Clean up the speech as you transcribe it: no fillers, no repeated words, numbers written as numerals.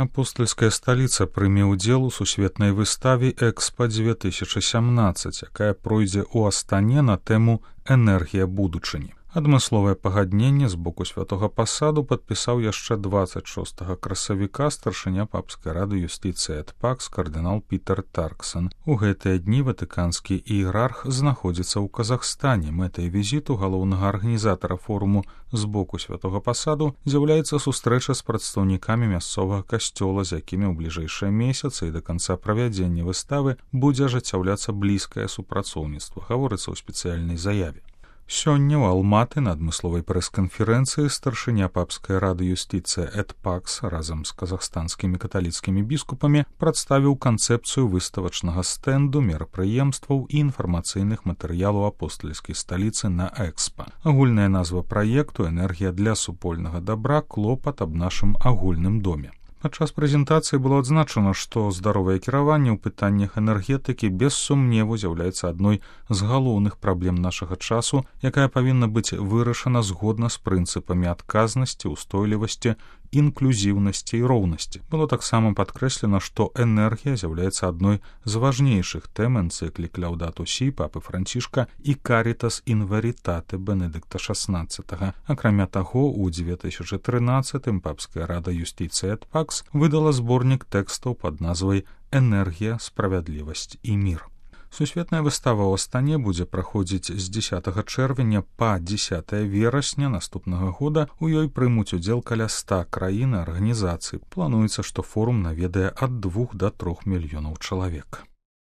Апостольская сталіца прыме ўдзел у сусветнай выставе «Экспа-2017», якая пройдзе ў Астане на тэму «Энергія будучыні». Адмысловае пагадненне з боку святога пасаду падпісаў яшчэ 26 красавіка старшыня папскай рады юстыцыі эт пакс кардынал Пітер Тарксон. У гэтыя дні ватыканскі іерарх знаходзіцца ў Казахстане. Мэтай візіту галоўнага арганізатара форуму з боку святога пасаду з'яўляецца сустрэча з прадстаўнікамі мясцовага касцёла, з якімі ў бліжэйшыя месяцы і да канца правядзення выставы будзе ажыццяўляцца блізкае супрацоўніцтва, гаворыцца ў спецыяльнай заяве. Сёння ў Алматы на адмысловай прэс-канферэнцыі старшыня папскай рады юстыцыі эт пакс разам з казахстанскімі каталіцкімі біскупамі прадставіў канцэпцыю выставачнага стэнду, мерапрыемстваў і інфармацыйных матэрыялаў апостальскай сталіцы на Экспа. Агульная назва праекту «Энергія для супольнага дабра. Клопат аб нашым агульным доме». Падчас прэзентацыі было адзначана, што здаровае кіраванне ў пытаннях энергетыкі без сумневу з'яўляецца адной з галоўных праблем нашага часу, якая павінна быць вырашана згодна з прынцыпамі адказнасці, устойлівасці, інклюзіўнасці і роўнасці. Было таксама падкрэслена, што энергія з'яўляецца адной з важнейшых тэм энцыклік Ляўдату сі папы Францішка і Карітас ін верітате Бенедыкта XVI. Акрамя таго, у 2013-м папская рада юстыцыі эт пакс выдала зборнік тэкстаў пад назвай «Энергія, справядлівасць і мір». Сусветная выстава ў Астане будзе праходзіць з 10 чэрвеня па 10 верасня наступнага года. У ёй прымуць удзел каля 100 краін і арганізацый. Плануецца, што форум наведае ад 2 да 3 мільёнаў чалавек.